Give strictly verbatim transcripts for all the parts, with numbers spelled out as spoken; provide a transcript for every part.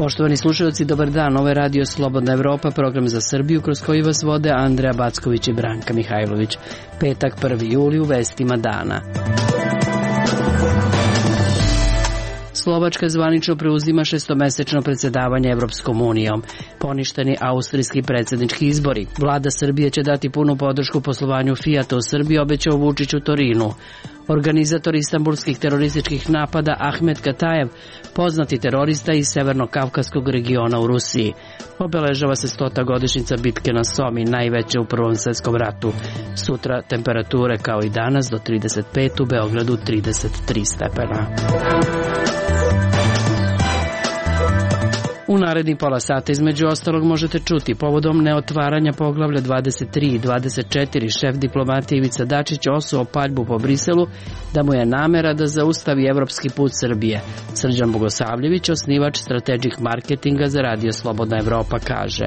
Poštovani slušalci, dobar dan. Ovo je Radio Slobodna Evropa, program za Srbiju kroz koji vas vode Andreja Backović i Branka Mihajlović. Petak, prvi juli, u vestima dana. Slovačka zvanično preuzima šestomesečno predsjedavanje Evropskom unijom. Poništeni austrijski predsjednički izbori. Vlada Srbije će dati punu podršku poslovanju Fijata u Srbiji, obećao Vučić u Torinu. Organizator istanbulskih terorističkih napada Ahmet Katajev, poznati terorista iz severno-kavkaskog regiona u Rusiji. Obeležava se stota godišnjica bitke na Somi, najveće u Prvom svjetskom ratu. Sutra temperature kao i danas do trideset pet, u Beogradu trideset tri stepena. U narednih pola sata između ostalog možete čuti povodom neotvaranja poglavlja dvadeset tri i dvadeset četiri šef diplomatije Ivica Dačić osuo paljbu po Briselu da mu je namera da zaustavi evropski put Srbije. Srđan Bogosavljević, osnivač Strategic Marketinga za Radio Slobodna Evropa, kaže: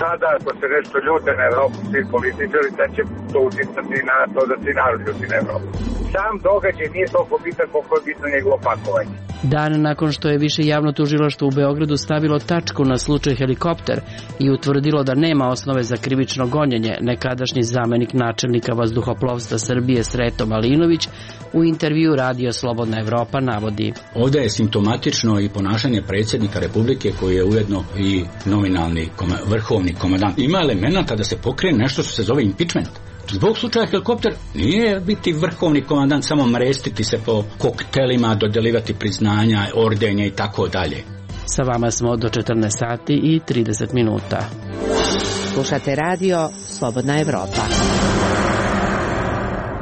Sada ako se nešto ljute na Evropu svi političari, da će to uticati na to da se narod ljuti na Evropu. Sam događaj nije toliko bitan koliko je bitno njegovo pakovanje. Dan nakon što je više javno tužilaštvo u Beogradu stavilo tačku na slučaj helikopter i utvrdilo da nema osnove za krivično gonjenje, nekadašnji zamenik načelnika vazduhoplovstva Srbije Sreto Malinović u intervju Radio Slobodna Evropa navodi: Ovdje je simptomatično i ponašanje predsjednika Republike koji je ujedno i nominalni koma, vrhovni komandant. Ima elemenata da se pokrene nešto što se zove impeachment. Zbog slučaja helikopter nije biti vrhovni komandant samo mrestiti se po koktelima, dodeljivati priznanja, ordenje i tako dalje. Sa vama smo do četrnaest sati i trideset minuta. Slušate Radio Slobodna Evropa.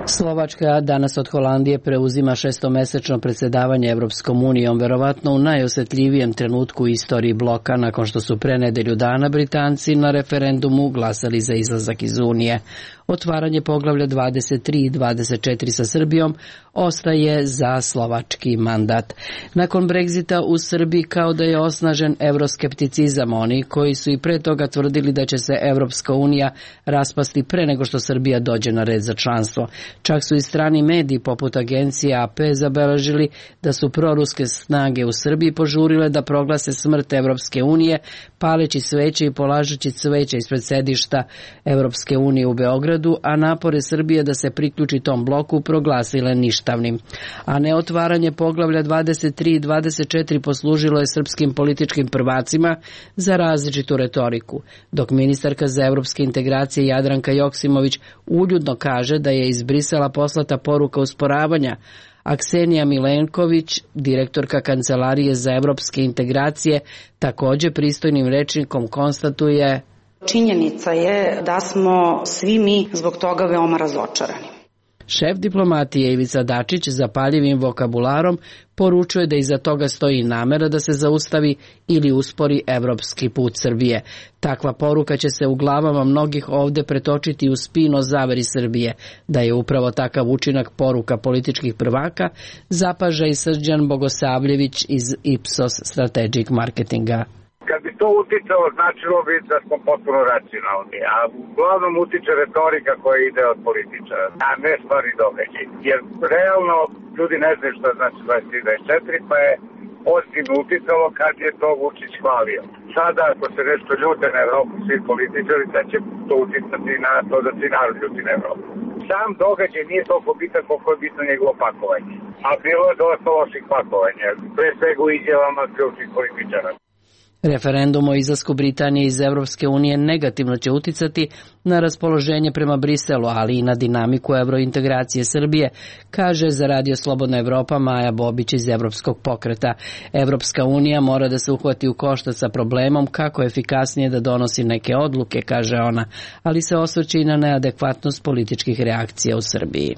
Slovačka danas od Holandije preuzima šestomesečno predsjedavanje Evropskom unijom, verovatno u najosjetljivijem trenutku u istoriji bloka, nakon što su pre nedelju dana Britanci na referendumu glasali za izlazak iz Unije. Otvaranje poglavlja dvadeset tri i dvadeset četiri sa Srbijom ostaje za slovački mandat. Nakon Brexita u Srbiji kao da je osnažen evroskepticizam, oni koji su i pre toga tvrdili da će se Evropska unija raspasti pre nego što Srbija dođe na red za članstvo. Čak su i strani mediji poput agencije A P zabeležili da su proruske snage u Srbiji požurile da proglase smrt Evropske unije, paleći sveće i polažući cveće ispred sedišta Evropske unije u Beogradu, a napore Srbije da se priključi tom bloku proglasile ništavnim. A neotvaranje poglavlja dvadeset tri i dvadeset četiri poslužilo je srpskim političkim prvacima za različitu retoriku, dok ministarka za evropske integracije Jadranka Joksimović uljudno kaže da je iz Brisela poslata poruka usporavanja, a Ksenija Milenković, direktorka Kancelarije za evropske integracije, također pristojnim rečnikom konstatuje: Činjenica je da smo svi mi zbog toga veoma razočarani. Šef diplomatije Ivica Dačić zapaljivim vokabularom poručuje da iza toga stoji namera da se zaustavi ili uspori evropski put Srbije. Takva poruka će se u glavama mnogih ovdje pretočiti u spin o zaveri Srbije. Da je upravo takav učinak poruka političkih prvaka, zapaža i Srđan Bogosavljević iz Ipsos Strategic Marketinga. Kad bi to uticalo, značilo bi da smo potpuno racionalni, a uglavnom utiče retorika koja ide od političara, a ne stvari događaj. Jer realno ljudi ne znaju što znači dvadeset tri dvadeset četiri, pa je pozitivno uticalo kad je to Vučić hvalio. Sada ako se nešto ljute na Evropu svi političari, da će to uticati na to da se narod ljuti na Evropu. Sam događaj nije toliko bitan koliko je bitno njegovo pakovanje, a bilo je dosta loših pakovanja, pre svega u izjavama ključnih političara. Referendum o izlasku Britanije iz Evropske unije negativno će uticati na raspoloženje prema Briselu, ali i na dinamiku evrointegracije Srbije, kaže za Radio Slobodna Evropa Maja Bobić iz Evropskog pokreta. Evropska unija mora da se uhvati u koštac sa problemom kako efikasnije da donosi neke odluke, kaže ona, ali se osvrće i na neadekvatnost političkih reakcija u Srbiji.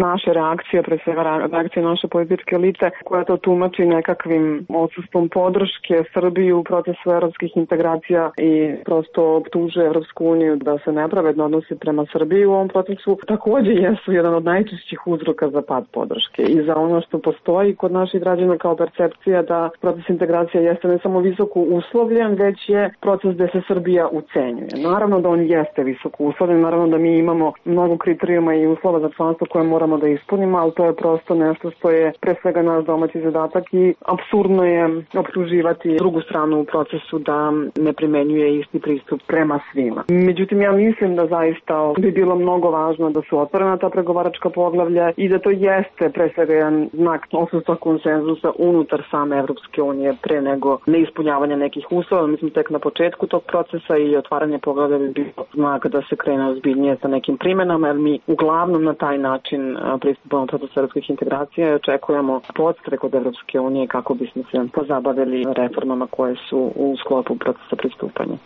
Naše reakcije, pre svega reakcije naše političke elite, koja to tumači nekakvim odsustvom podrške Srbiji u procesu evropskih integracija i prosto optužuje Evropsku uniju da se nepravedno odnosi prema Srbiji u ovom procesu, također jesu jedan od najčešćih uzroka za pad podrške i za ono što postoji kod naših građana kao percepcija da proces integracije jeste ne samo visoko uslovljen, već je proces gde se Srbija ucenjuje. Naravno da on jeste visoko uslovljen, naravno da mi imamo mnogo kriterijuma i uslova za članstvo koje moramo da ispunimo, ali to je prosto nešto što je pre svega naš domaći zadatak i apsurdno je optuživati drugu stranu u procesu da ne primenjuje isti pristup prema svima. Međutim, ja mislim da zaista bi bilo mnogo važno da su otvorena ta pregovaračka poglavlja i da to jeste pre svega jedan znak odsustva konsenzusa unutar same Evropske unije pre nego neispunjavanje nekih uslova. Mislim, tek na početku tog procesa i otvaranje poglavlja bi bilo znak da se krene ozbiljnije sa nekim primenama, jer mi uglavnom na taj način pristupamo procesu evropskih integracija i očekujemo podstrek od Evropske unije kako bismo se pozabavili reformama koje su u sklopu procesa pristupanja.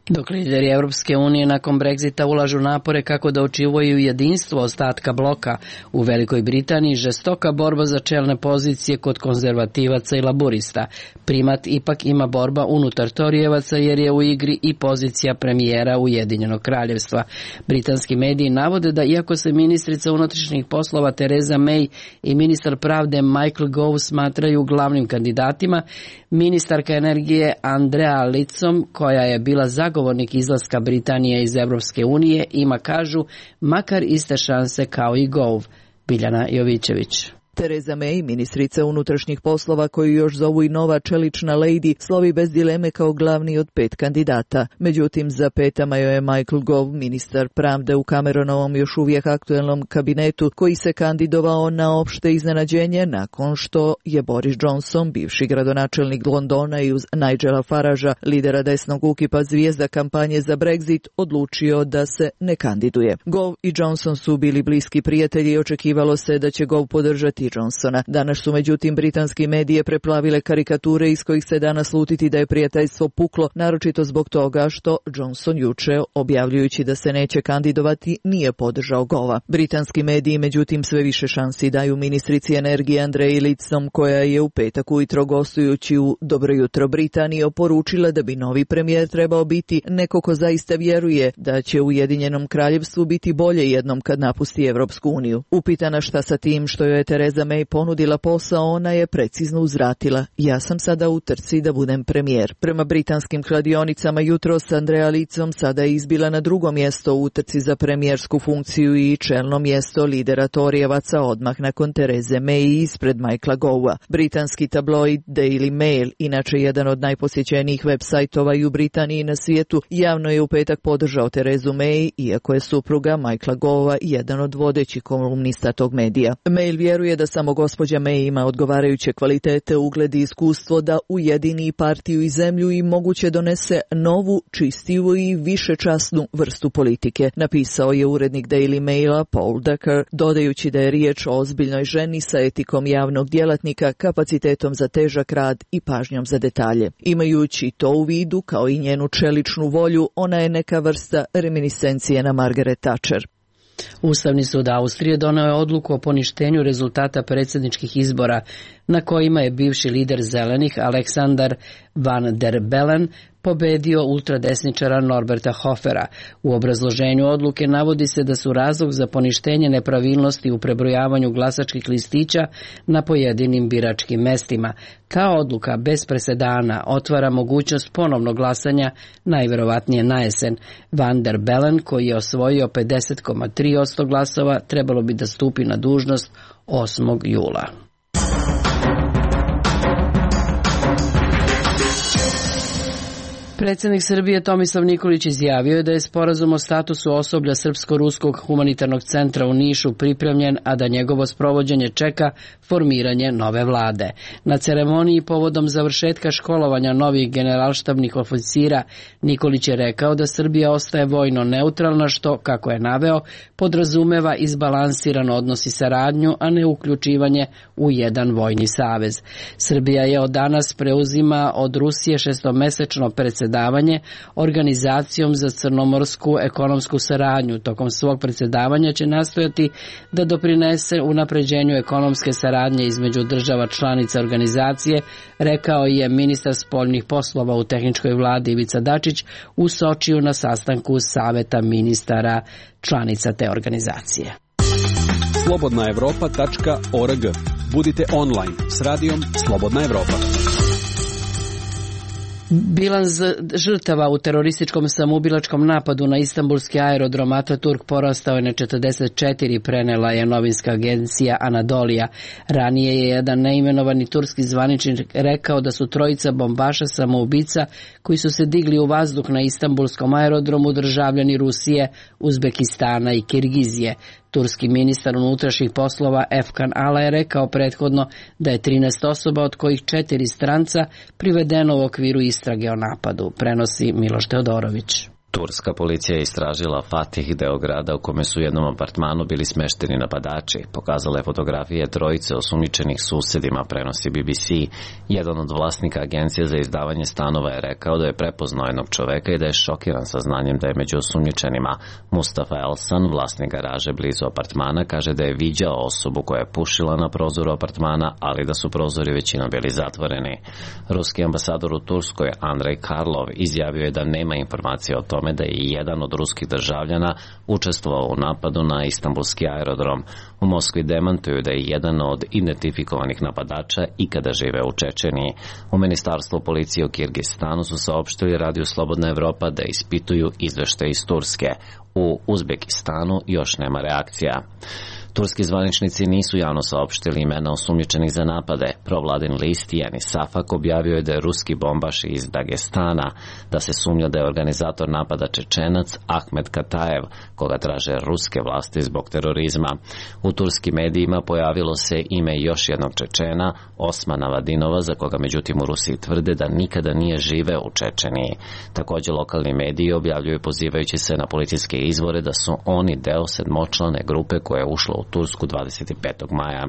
Dok lideri Evropske unije nakon Brexita ulažu napore kako da očuvaju jedinstvo ostatka bloka, u Velikoj Britaniji žestoka borba za čelne pozicije kod konzervativaca i laburista. Primat ipak ima borba unutar Torijevaca jer je u igri i pozicija premijera Ujedinjenog kraljevstva. Britanski mediji navode da iako se ministrica unutrašnjih poslova Theresa May i ministar pravde Michael Gove smatraju glavnim kandidatima, ministarka energije Andrea Leadsom, koja je bila zagovornik izlaska Britanije iz Evropske unije, ima, kažu, makar iste šanse kao i Gove. Biljana Jovićević. Theresa May, ministrica unutrašnjih poslova koju još zovu i nova čelična lady, slovi bez dileme kao glavni od pet kandidata. Međutim, za petama joj je Michael Gove, ministar pravde u Cameronovom još uvijek aktuelnom kabinetu, koji se kandidovao na opšte iznenađenje nakon što je Boris Johnson, bivši gradonačelnik Londona i uz Nigela Faragea, lidera desnog ukipa zvijezda kampanje za Brexit, odlučio da se ne kandiduje. Gove i Johnson su bili bliski prijatelji i očekivalo se da će Gove podržati Johnsona. Danas su međutim britanski medije preplavile karikature iz kojih se danas slutiti da je prijateljstvo puklo, naročito zbog toga što Johnson juče, objavljujući da se neće kandidovati, nije podržao Gova. Britanski mediji međutim sve više šansi daju ministrici energije Andreji Leadsom, koja je u petak ujutro gostujući u Dobro jutro Britaniji oporučila da bi novi premijer trebao biti neko ko zaista vjeruje da će Ujedinjenom kraljevstvu biti bolje jednom kad napusti Evropsku uniju. Upitana šta sa tim što joj je Theresa May ponudila posao, ona je precizno uzvratila: ja sam sada u trci da budem premijer. Prema britanskim kladionicama jutros Andrea Leadsom sada je izbila na drugo mjesto u utrci za premijersku funkciju i čelno mjesto lidera Torijevaca odmah nakon Therese May ispred Michaela Gova. Britanski tabloid Daily Mail, inače jedan od najposjećenijih web sajtova i u Britaniji i na svijetu, javno je u petak podržao Theresu May, iako je supruga Michaela Gova jedan od vodećih kolumnista tog medija. Mail vjeruje da samo gospođa May ima odgovarajuće kvalitete, ugled i iskustvo da ujedini partiju i zemlju i moguće donese novu, čistiju i višečasnu vrstu politike, napisao je urednik Daily Maila Paul Decker, dodajući da je riječ o ozbiljnoj ženi sa etikom javnog djelatnika, kapacitetom za težak rad i pažnjom za detalje. Imajući to u vidu, kao i njenu čeličnu volju, ona je neka vrsta reminiscencije na Margaret Thatcher. Ustavni sud Austrije doneo je odluku o poništenju rezultata predsjedničkih izbora na kojima je bivši lider zelenih Aleksandar Van der Bellen pobedio ultradesničara Norberta Hofera. U obrazloženju odluke navodi se da su razlog za poništenje nepravilnosti u prebrojavanju glasačkih listića na pojedinim biračkim mestima. Ta odluka bez presedana otvara mogućnost ponovnog glasanja najverovatnije na jesen. Van der Bellen, koji je osvojio pedeset zarez tri posto glasova, trebalo bi da stupi na dužnost osmog jula. Predsjednik Srbije Tomislav Nikolić izjavio je da je sporazum o statusu osoblja Srpsko-ruskog humanitarnog centra u Nišu pripremljen, a da njegovo sprovođenje čeka formiranje nove vlade. Na ceremoniji povodom završetka školovanja novih generalštabnih oficira Nikolić je rekao da Srbija ostaje vojno neutralna, što, kako je naveo, podrazumeva izbalansiran odnos i saradnju, a ne uključivanje u jedan vojni savez. Srbija je od danas preuzima od Rusije šestomesečno predsjedavanje Organizacijom za crnomorsku ekonomsku saradnju. Tokom svog predsjedavanja će nastojati da doprinese unapređenju ekonomske saradnje između država članica organizacije, rekao je ministar spoljnih poslova u tehničkoj vladi Ivica Dačić u Sočiju na sastanku Saveta ministara članica te organizacije. slobodna evropa tačka org. Budite online s radijom Slobodna Evropa. Bilans žrtava u terorističkom samoubilačkom napadu na istanbulski aerodrom Ataturk porastao je na četrdeset četiri, prenela je novinska agencija Anadolija. Ranije je jedan neimenovani turski zvaničnik rekao da su trojica bombaša samoubica koji su se digli u vazduh na istanbulskom aerodromu državljani Rusije, Uzbekistana i Kirgizije. Turski ministar unutrašnjih poslova Efkan Ala je rekao prethodno da je trinaest osoba, od kojih četiri stranca, privedeno u okviru istrage o napadu, prenosi Miloš Teodorović. Turska policija je istražila Fatih, deo grada u kome su u jednom apartmanu bili smešteni napadači. Pokazala je fotografije trojice osumnjičenih susedima, prenosi B B C. Jedan od vlasnika agencije za izdavanje stanova je rekao da je prepoznao jednog čoveka i da je šokiran saznanjem da je među osumnjičenima. Mustafa Elsan, vlasnik garaže blizu apartmana, kaže da je viđao osobu koja je pušila na prozoru apartmana, ali da su prozori većinom bili zatvoreni. Ruski ambasador u Turskoj, Andrej Karlov, izjavio je da nema informacije o tome da je jedan od ruskih državljana učestvovao u napadu na istanbulski aerodrom. U Moskvi demantuju da je jedan od identifikovanih napadača ikada žive u Čečeniji. U Ministarstvu policije u Kirgistanu su saopštili radiju Slobodna Evropa da ispituju izveštaje iz Turske. U Uzbekistanu još nema reakcija. Turski zvaničnici nisu javno saopštili imena osumnjičenih za napade. Provladin list Yeni Safak objavio je da je ruski bombaš iz Dagestana, da se sumnja da je organizator napada Čečenac Ahmed Kataev, koga traže ruske vlasti zbog terorizma. U turskim medijima pojavilo se ime još jednog Čečena, Osmana Vadinova, za koga međutim u Rusiji tvrde da nikada nije živeo u Čečeniji. Također lokalni mediji objavljuju pozivajući se na policijske izvore da su oni deo sedmočlane grupe koja je ušla u Tursku dvadeset petog maja.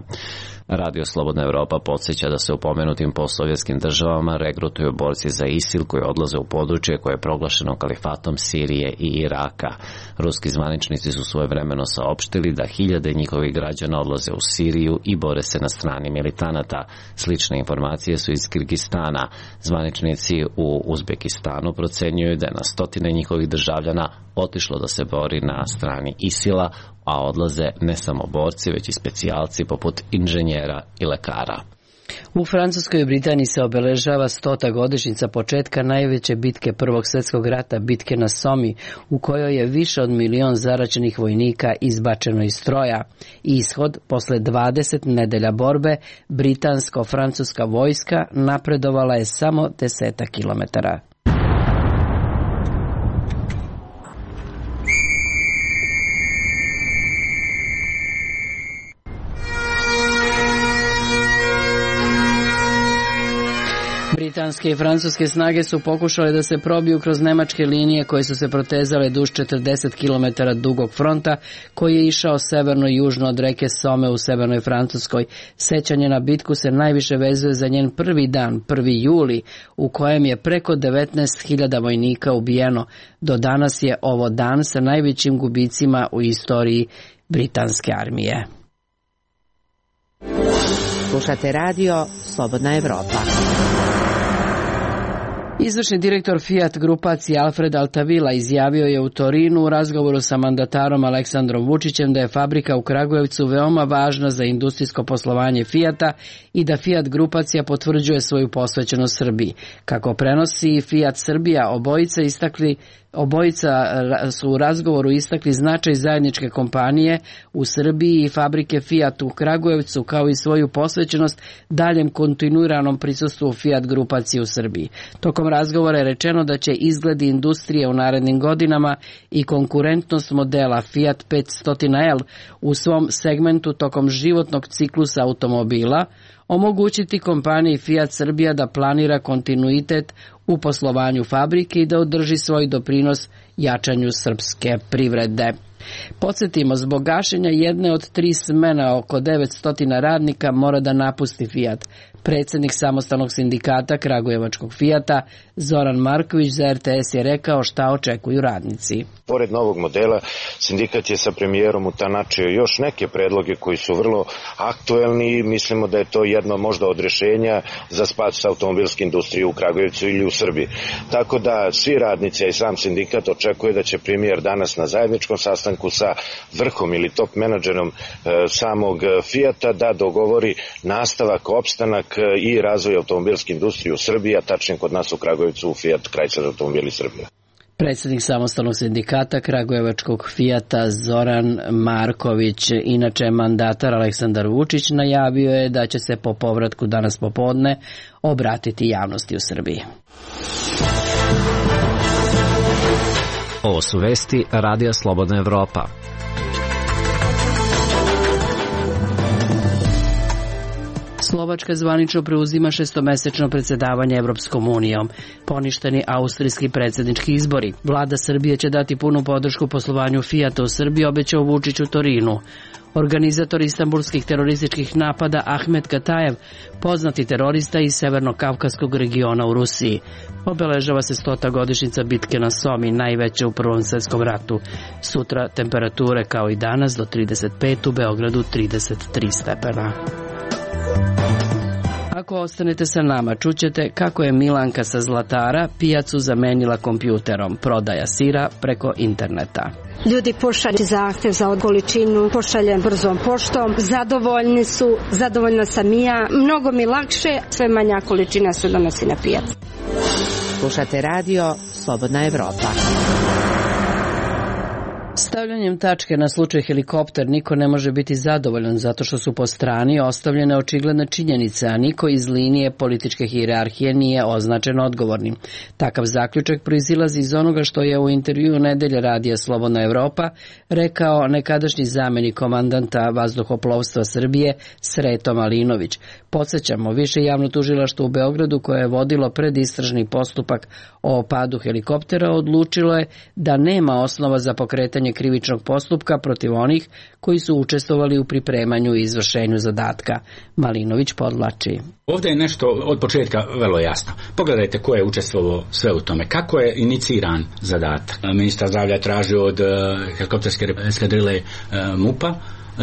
Radio Slobodna Evropa podsjeća da se u pomenutim postsovjetskim državama regrutuju borci za ISIL koji odlaze u područje koje je proglašeno kalifatom Sirije i Iraka. Ruski zvaničnici su svojevremeno saopštili da hiljade njihovih građana odlaze u Siriju i bore se na strani militanata. Slične informacije su iz Kirgistana. Zvaničnici u Uzbekistanu procenjuju da je na stotine njihovih državljana otišlo da se bori na strani ISIL-a, a odlaze ne samo borci, već i specijalci poput inženjera i lekara. U Francuskoj i Britaniji se obeležava stota godišnjica početka najveće bitke Prvog svjetskog rata, bitke na Somi, u kojoj je više od milion zaraćenih vojnika izbačeno iz stroja. Ishod, posle dvadeset nedelja borbe, britansko-francuska vojska napredovala je samo desetak kilometara. Britanske i francuske snage su pokušale da se probiju kroz nemačke linije koje su se protezale duž četrdeset kilometara dugog fronta koji je išao severno i južno od reke Some u severnoj Francuskoj. Sećanje na bitku se najviše vezuje za njen prvi dan, prvi juli, u kojem je preko devetnaest hiljada vojnika ubijeno. Do danas je ovo dan sa najvećim gubicima u istoriji britanske armije. Slušate radio Slobodna Evropa. Izvršni direktor Fiat grupacije Alfred Altavila izjavio je u Torinu u razgovoru sa mandatarom Aleksandrom Vučićem da je fabrika u Kragujevcu veoma važna za industrijsko poslovanje Fiata i da Fiat grupacija potvrđuje svoju posvećenost Srbiji. Kako prenosi Fiat Srbija, obojica istakli Obojica su u razgovoru istakli značaj zajedničke kompanije u Srbiji i fabrike Fiat u Kragujevcu, kao i svoju posvećenost daljem kontinuiranom prisustvu Fiat grupacije u Srbiji. Tokom razgovora je rečeno da će izgledi industrije u narednim godinama i konkurentnost modela Fiat petsto L u svom segmentu tokom životnog ciklusa automobila omogućiti kompaniji Fiat Srbija da planira kontinuitet u poslovanju fabrike i da održi svoj doprinos jačanju srpske privrede. Podsjetimo, zbog gašenja jedne od tri smene oko devetsto radnika mora da napusti Fiat. Predsjednik samostalnog sindikata Kragujevačkog Fijata Zoran Marković za R T S je rekao šta očekuju radnici. Pored novog modela, sindikat je sa premijerom utanačio još neke predloge koji su vrlo aktuelni i mislimo da je to jedno možda od rješenja za spas automobilske industrije u Kragujevcu ili u Srbiji. Tako da svi radnici i sam sindikat očekuje da će premijer danas na zajedničkom sastanku sastanku sa vrhom ili top menadžerom samog Fijata da dogovori nastavak, opstanak i razvoj automobilske industrije u Srbiji, a tačnije kod nas u Kragujevcu u Fiat Chrysler automobili Srbije. Predsjednik samostalnog sindikata kragujevačkog Fijata Zoran Marković, inače mandatar Aleksandar Vučić, najavio je da će se po povratku danas popodne obratiti javnosti u Srbiji. Ovo su vesti Radija Slobodna Evropa. Slovačka zvanično preuzima šestomesečno predsjedavanje Evropskom unijom. Poništeni austrijski predsjednički izbori. Vlada Srbije će dati punu podršku poslovanju Fijata u Srbiji, obećao Vučić u Torinu. Organizator istanbulskih terorističkih napada Ahmet Katajev, poznati terorista iz severno-kavkaskog regiona u Rusiji. Obeležava se stota godišnjica bitke na Somi, najveće u Prvom svjetskom ratu. Sutra temperature kao i danas do trideset pet, u Beogradu trideset tri stepena. Ako ostanete sa nama, čućete kako je Milanka sa Zlatara pijacu zamenila kompjuterom, prodaja sira preko interneta. Ljudi pošalju zahtjev za količinu, pošaljem brzom poštom, zadovoljni su, zadovoljna sam i ja, mnogo mi lakše, sve manja količina se donosi na pijac. Slušate radio Slobodna Evropa. Stavljanjem tačke na slučaj helikopter niko ne može biti zadovoljan zato što su po strani ostavljene očigledne činjenice, a niko iz linije političke hijerarhije nije označen odgovornim. Takav zaključak proizilazi iz onoga što je u intervjuu Nedelje radija Slobodna Evropa rekao nekadašnji zamenik komandanta vazduhoplovstva Srbije Sreto Malinović. Podsjećamo, više javno tužilaštvo u Beogradu koje je vodilo predistražni postupak o padu helikoptera odlučilo je da nema osnova za pokretanje krivičnog postupka protiv onih koji su učestvovali u pripremanju i izvršenju zadatka. Malinović podvlači. Ovdje je nešto od početka vrlo jasno. Pogledajte ko je učestvovao sve u tome. Kako je iniciran zadatak. Ministar zdravlja je tražio od helikopterske eskadrile MUP-a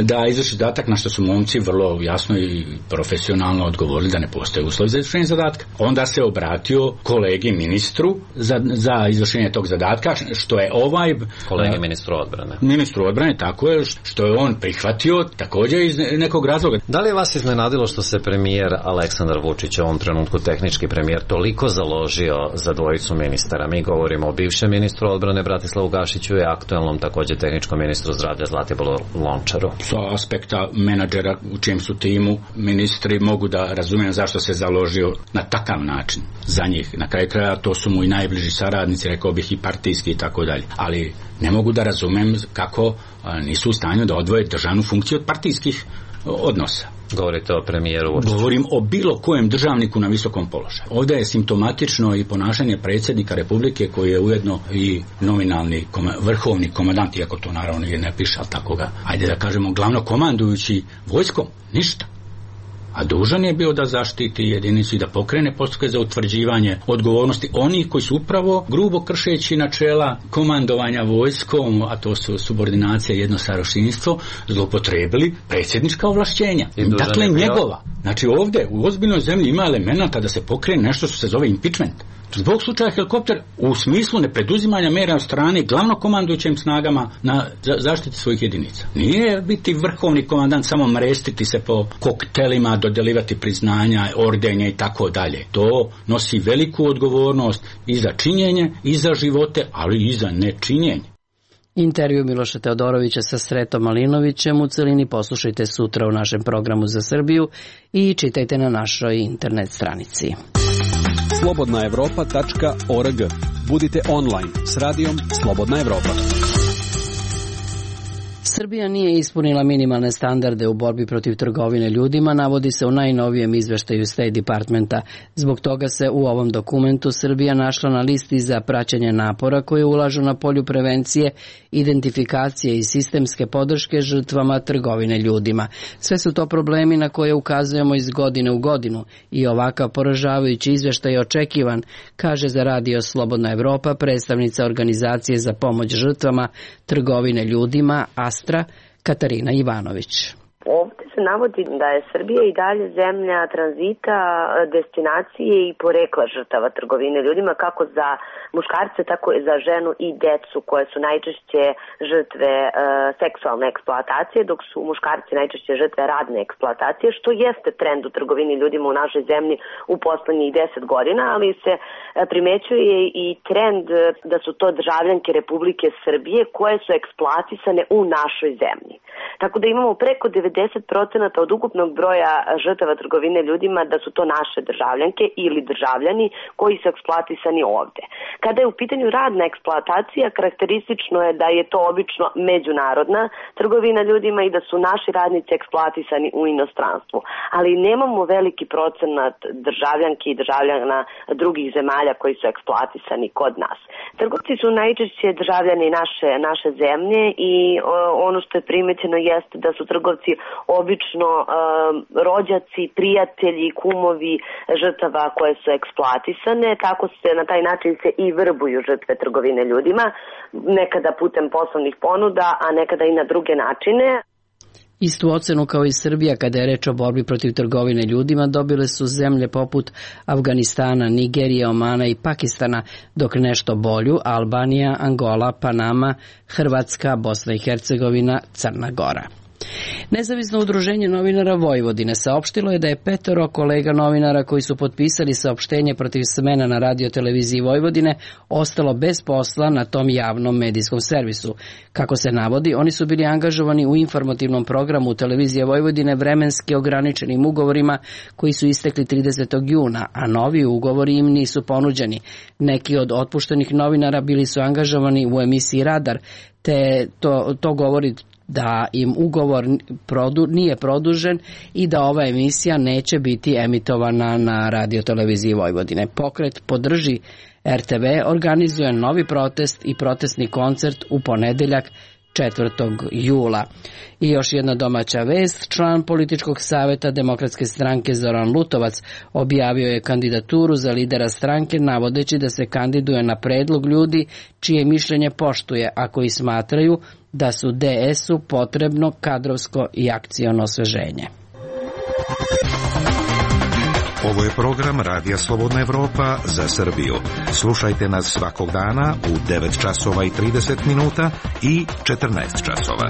da izvrši zadatak, na što su momci vrlo jasno i profesionalno odgovorili da ne postoje uslovi za izvršenje zadatka. Onda se obratio kolegi ministru za, za izvršenje tog zadatka, što je ovaj... Kolegi ministru odbrane. Ministru odbrane, tako je, što je on prihvatio također iz nekog razloga. Da li je vas iznenadilo što se premijer Aleksandar Vučić, u ovom trenutku tehnički premijer, toliko založio za dvojicu ministara? Mi govorimo o bivšem ministru odbrane Bratislavu Gašiću i aktuelnom također tehničkom ministru zdravlja Zlatiboru Lončaru. Sa aspekta menadžera u čijem su timu ministri mogu da razumijem zašto se založio na takav način za njih. Na kraju kraja to su mu i najbliži saradnici, rekao bih i partijski i tako dalje. Ali ne mogu da razumem kako nisu u stanju da odvoje državnu funkciju od partijskih odnosa. Govorite o premijeru Vučiću. Govorim o bilo kojem državniku na visokom položaju. Ovdje je simptomatično i ponašanje predsjednika Republike koji je ujedno i nominalni koma, vrhovni komandant, iako to naravno ne piše, ali tako ga, ajde da kažemo, glavno komandujući vojskom, ništa. A dužan je bio da zaštiti jedinicu i da pokrene postupke za utvrđivanje odgovornosti onih koji su upravo grubo kršeći načela komandovanja vojskom, a to su subordinacija i jednostarošinstvo, zloupotrebili predsjednička ovlašćenja. Dakle, njegova. Znači ovdje u ozbiljnoj zemlji ima elemenata da se pokrene nešto što se zove impeachment. Zbog slučaja helikopter u smislu nepreduzimanja mjera od strane glavno komandujućim snagama na zaštiti svojih jedinica. Nije biti vrhovni komandant samo mrestiti se po koktelima, dodeljivati priznanja, ordenje i tako dalje. To nosi veliku odgovornost i za činjenje, i za živote, ali i za nečinjenje. Intervju Miloša Teodorovića sa Sretom Malinovićem u celini poslušajte sutra u našem programu za Srbiju i čitajte na našoj internet stranici. slobodna evropa tačka org. Budite online s radijom Slobodna Evropa. Srbija nije ispunila minimalne standarde u borbi protiv trgovine ljudima, navodi se u najnovijem izveštaju State Departmenta. Zbog toga se u ovom dokumentu Srbija našla na listi za praćenje napora koje ulažu na polju prevencije, identifikacije i sistemske podrške žrtvama trgovine ljudima. Sve su to problemi na koje ukazujemo iz godine u godinu i ovakav poražavajući izveštaj je očekivan, kaže za radio Slobodna Evropa predstavnica organizacije za pomoć žrtvama trgovine ljudima Astra Katarina Ivanović. Ovdje se navodi da je Srbija i dalje zemlja tranzita, destinacije i porekla žrtava trgovine ljudima, kako za muškarce, tako i za ženu i decu, koje su najčešće žrtve e, seksualne eksploatacije, dok su muškarci najčešće žrtve radne eksploatacije, što jeste trend u trgovini ljudima u našoj zemlji u poslednjih deset godina, ali se e, primećuje i trend da su to državljanke Republike Srbije koje su eksploatisane u našoj zemlji. Tako da imamo preko devedeset procenata od ukupnog broja žrtava trgovine ljudima da su to naše državljanke ili državljani koji su eksploatisani ovde. Kada je u pitanju radna eksploatacija, karakteristično je da je to obično međunarodna trgovina ljudima i da su naši radnici eksploatisani u inostranstvu. Ali nemamo veliki procenat državljanki i državljana drugih zemalja koji su eksploatisani kod nas. Trgovci su najčešće državljani naše, naše zemlje i o, ono što je primećeno jeste da su trgovci obično um, rođaci, prijatelji, kumovi žrtava koje su eksploatisane. Tako se na taj način se i vrbuju žrtve trgovine ljudima, nekada putem poslovnih ponuda, a nekada i na druge načine. Istu ocenu kao i Srbija kada je reč o borbi protiv trgovine ljudima dobile su zemlje poput Afganistana, Nigerije, Omana i Pakistana, dok nešto bolju Albanija, Angola, Panama, Hrvatska, Bosna i Hercegovina, Crna Gora. Nezavisno udruženje novinara Vojvodine saopštilo je da je petoro kolega novinara koji su potpisali saopštenje protiv smena na radioteleviziji Vojvodine ostalo bez posla na tom javnom medijskom servisu. Kako se navodi, oni su bili angažovani u informativnom programu televizije Vojvodine vremenski ograničenim ugovorima koji su istekli tridesetog juna, a novi ugovori im nisu ponuđeni. Neki od otpuštenih novinara bili su angažovani u emisiji Radar, te to, to govori da im ugovor produ, nije produžen i da ova emisija neće biti emitovana na radioteleviziji Vojvodine. Pokret Podrži er te ve organizuje novi protest i protestni koncert u ponedeljak četvrtog jula. I još jedna domaća vest, član političkog saveta Demokratske stranke Zoran Lutovac objavio je kandidaturu za lidera stranke navodeći da se kandiduje na predlog ljudi čije mišljenje poštuje, a koji smatraju da su de esu potrebno kadrovsko i akciono osveženje. Ovo je program Radija Slobodna Evropa za Srbiju. Slušajte nas svakog dana u devet časova i trideset minuta i četrnaest časova.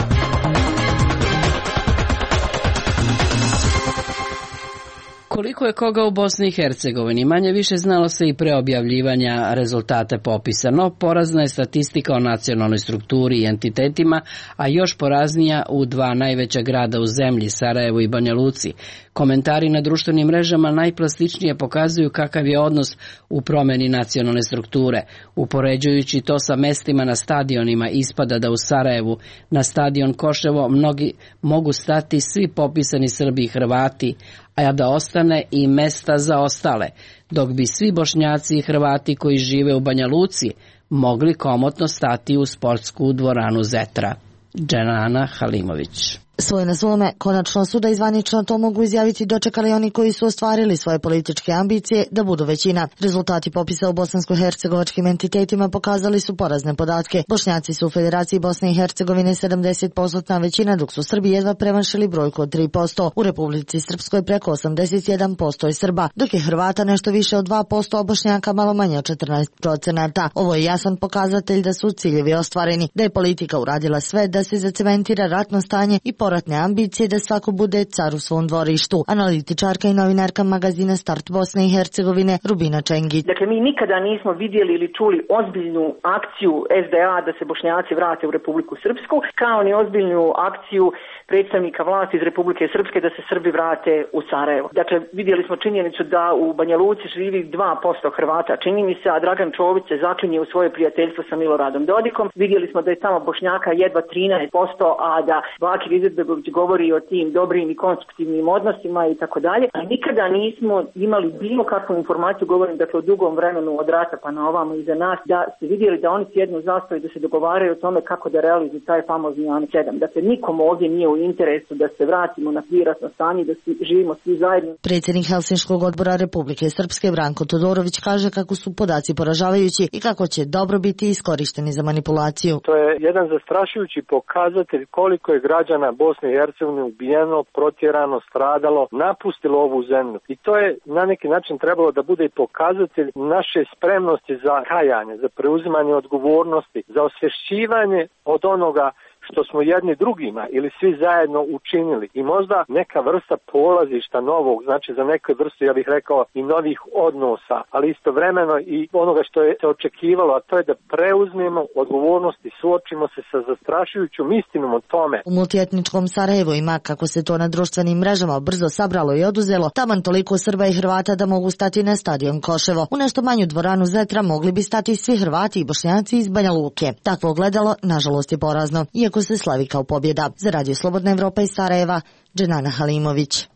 Koliko je koga u Bosni i Hercegovini, manje više znalo se i pre objavljivanja rezultate popisa, no porazna je statistika o nacionalnoj strukturi i entitetima, a još poraznija u dva najveća grada u zemlji, Sarajevu i Banja Luci. Komentari na društvenim mrežama najplastičnije pokazuju kakav je odnos u promeni nacionalne strukture. Upoređujući to sa mestima na stadionima, ispada da u Sarajevu na stadion Koševo mnogi mogu stati svi popisani Srbi i Hrvati, a da ostane i mesta za ostale, dok bi svi Bošnjaci i Hrvati koji žive u Banja Luci mogli komotno stati u sportsku dvoranu Zetra. Dženana Halimović. Svoje na svome, konačno su da izvanično to mogu izjaviti dočekali oni koji su ostvarili svoje političke ambicije da budu većina. Rezultati popisa u bosansko-hercegovačkim entitetima pokazali su porazne podatke. Bošnjaci su u Federaciji Bosne i Hercegovine sedamdeset posto većina, dok su Srbi jedva premašili brojku od tri posto. U Republici Srpskoj preko osamdeset jedan posto je Srba, dok je Hrvata nešto više od dva posto, a Bošnjaka malo manje od četrnaest procenata. Ovo je jasan pokazatelj da su ciljevi ostvareni, da je politika uradila sve da se zacementira ratno stanje i poratne ambicije da svako bude car u svom dvorištu. Analitičarka i novinarka magazina Start Bosne i Hercegovine Rubina Čengić. Dakle, mi nikada nismo vidjeli ili čuli ozbiljnu akciju es de a da se Bošnjaci vrate u Republiku Srpsku, kao ni ozbiljnu akciju predstavnika vlasti iz Republike Srpske da se Srbi vrate u Sarajevo. Dakle, vidjeli smo činjenicu da u Banja Luci živi dva posto Hrvata, čini mi se, a Dragan Čović se zaklinje u svoje prijateljstvo sa Miloradom Dodikom. Vidjeli smo da je tamo Bošnjaka jedva trinaest posto, a da Bakir Izetbegović govori o tim dobrim i konstruktivnim odnosima i tako dalje. A nikada nismo imali bilo kakvu informaciju, govorim dakle o dugom vremenu od rata pa na ovamo iza nas, da ste vidjeli da oni sjednu zastavu i da se dogovaraju o tome kako da realizuju taj famozni Anex sedam. Dakle, nikom ovdje nije u interesu da se vratimo na priratno stanje, da svi, živimo svi zajedno. Predsjednik Helsinškog odbora Republike Srpske Branko Todorović kaže kako su podaci poražavajući i kako će dobro biti iskorišteni za manipulaciju. To je jedan zastrašujući pokazatelj koliko je građana Bosne i Hercegovine ubijeno, protjerano, stradalo, napustilo ovu zemlju. I to je na neki način trebalo da bude i pokazatelj naše spremnosti za kajanje, za preuzimanje odgovornosti, za osvješćivanje od onoga što smo jedni drugima ili svi zajedno učinili i možda neka vrsta polazišta novog, znači za neku vrstu, ja bih rekao, i novih odnosa, ali istovremeno i onoga što je se očekivalo, a to je da preuzmemo odgovornost i suočimo se sa zastrašujućom istinom o tome. U multietničkom Sarajevu ima, kako se to na društvenim mrežama brzo sabralo i oduzelo, taman toliko Srba i Hrvata da mogu stati na stadion Koševo. U nešto manju dvoranu Zetra mogli bi stati svi Hrvati i Bošnjaci iz Banja Luke. Takvo ogledalo, nažalost, je porazno, iako se slavi kao pobjeda. Za Radio Slobodna Evropa iz Sarajeva, Dženana Halimović.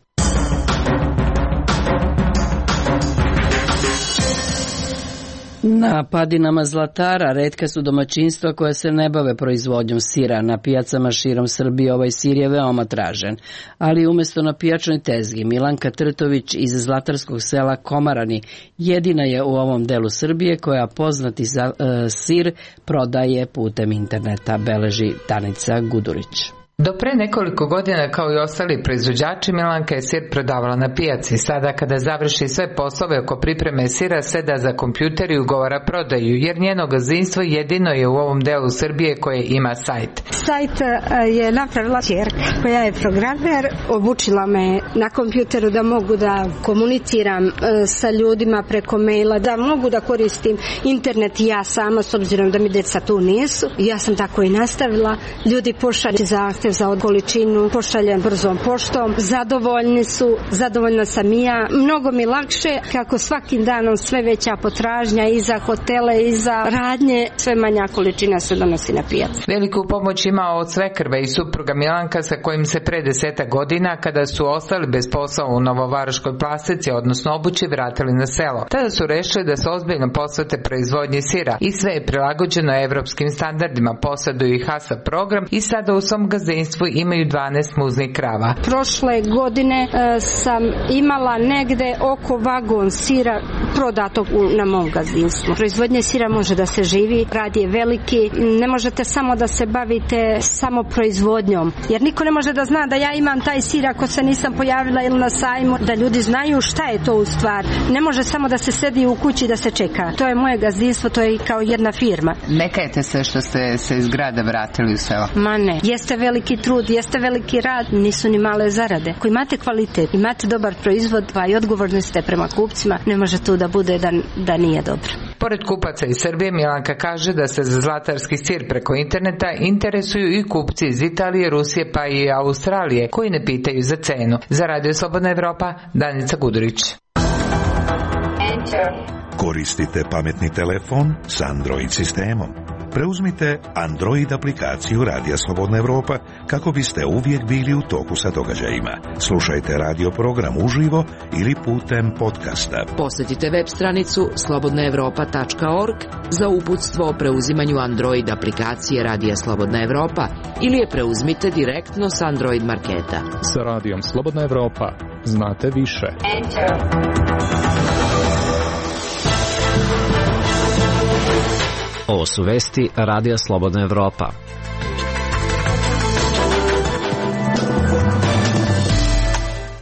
Na padinama Zlatara retka su domaćinstva koja se ne bave proizvodnjom sira. Na pijacama širom Srbije ovaj sir je veoma tražen. Ali umjesto na pijačnoj tezgi, Milanka Trtović iz zlatarskog sela Komarani jedina je u ovom delu Srbije koja poznati za, e, sir prodaje putem interneta, beleži Danica Gudurić. Do pre nekoliko godina, kao i ostali proizvođači, Milanka je sir prodavala na pijaci. Sada, kada završi sve poslove oko pripreme sira, seda za kompjuter i ugovara prodaju, jer njeno gazdinstvo jedino je u ovom delu Srbije koje ima sajt. Sajt je napravila ćerka koja je programer, obučila me na kompjuteru da mogu da komuniciram sa ljudima preko maila, da mogu da koristim internet i ja sama, s obzirom da mi deca tu nisu. Ja sam tako i nastavila. Ljudi pošalju zahtev za količinu, pošaljem brzom poštom, zadovoljni su, zadovoljna sam i ja. Mnogo mi lakše kako svakim danom sve veća potražnja i za hotele i za radnje, sve manja količina se donosi na pijacu. Veliku pomoć ima od svekrva i supruga Milanka sa kojim se pre deseta godina, kada su ostali bez posla u Novovaroškoj Plastici, odnosno Obući, vratili na selo. Tada su rešili da se ozbiljno posvete proizvodnji sira i sve je prilagođeno evropskim standardima, poseduju i HASA program i sada u svom gazdinstvu imaju dvanaest muznih krava. Prošle godine e, sam imala negde oko vagon sira prodatog u, na mom gazdinstvu. Proizvodnje sira može da se živi, rad je veliki, ne možete samo da se bavite samo proizvodnjom, jer niko ne može da zna da ja imam taj sir ako se nisam pojavila ili na sajmu, da ljudi znaju šta je to u stvar. Ne može samo da se sedi u kući da se čeka. To je moje gazdinstvo, to je kao jedna firma. Ne kajete se što ste se iz grada vratili u selo? Ma ne, jeste veliki trud, jeste veliki rad, nisu ni male zarade. Ako imate kvalitet, imate dobar proizvod, pa i odgovorni ste prema kupcima, ne može tu da bude da, da nije dobro. Pored kupaca iz Srbije, Milanka kaže da se za zlatarski sir preko interneta interesuju i kupci iz Italije, Rusije pa i Australije, koji ne pitaju za cenu. Za Radio Slobodna Evropa, Danica Gudurić. Koristite pametni telefon s Android sistemom. Preuzmite Android aplikaciju Radija Slobodna Evropa kako biste uvijek bili u toku sa događajima. Slušajte radio program uživo ili putem podcasta. Posjetite web stranicu slobodna evropa tačka org za uputstvo o preuzimanju Android aplikacije Radija Slobodna Evropa ili je preuzmite direktno s Android marketa. Sa Radijom Slobodna Evropa znate više. Enter. Ovo su vesti Radija Slobodna Evropa.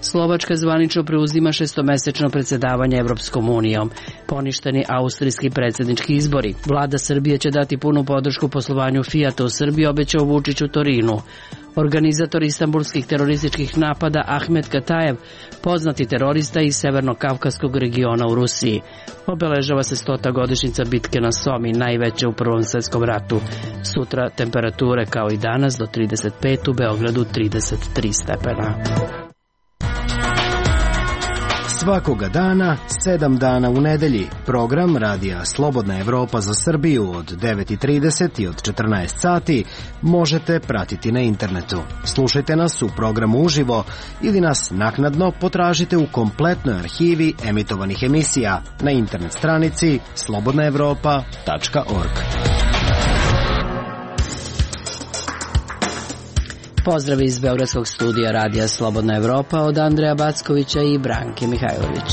Slovačka zvanično preuzima šestomesečno predsjedavanje Evropskom unijom. Poništeni austrijski predsjednički izbori. Vlada Srbije će dati punu podršku poslovanju Fijata u Srbiji, obećao Vučić u Torinu. Organizator istanbulskih terorističkih napada Ahmet Katajev, poznati terorista iz severno-kavkaskog regiona u Rusiji. Obeležava se stota godišnjica bitke na Somi, najveće u Prvom svjetskom ratu. Sutra temperature kao i danas do trideset pet, u Beogradu trideset tri stepena. Svakoga dana, sedam dana u nedelji, program Radija Slobodna Evropa za Srbiju od devet i trideset i od četrnaest sati možete pratiti na internetu. Slušajte nas u programu uživo ili nas naknadno potražite u kompletnoj arhivi emitovanih emisija na internet stranici slobodna evropa tačka org. Pozdrav iz Beogradskog studija Radija Slobodna Evropa od Andreja Backovića i Branke Mihajlović.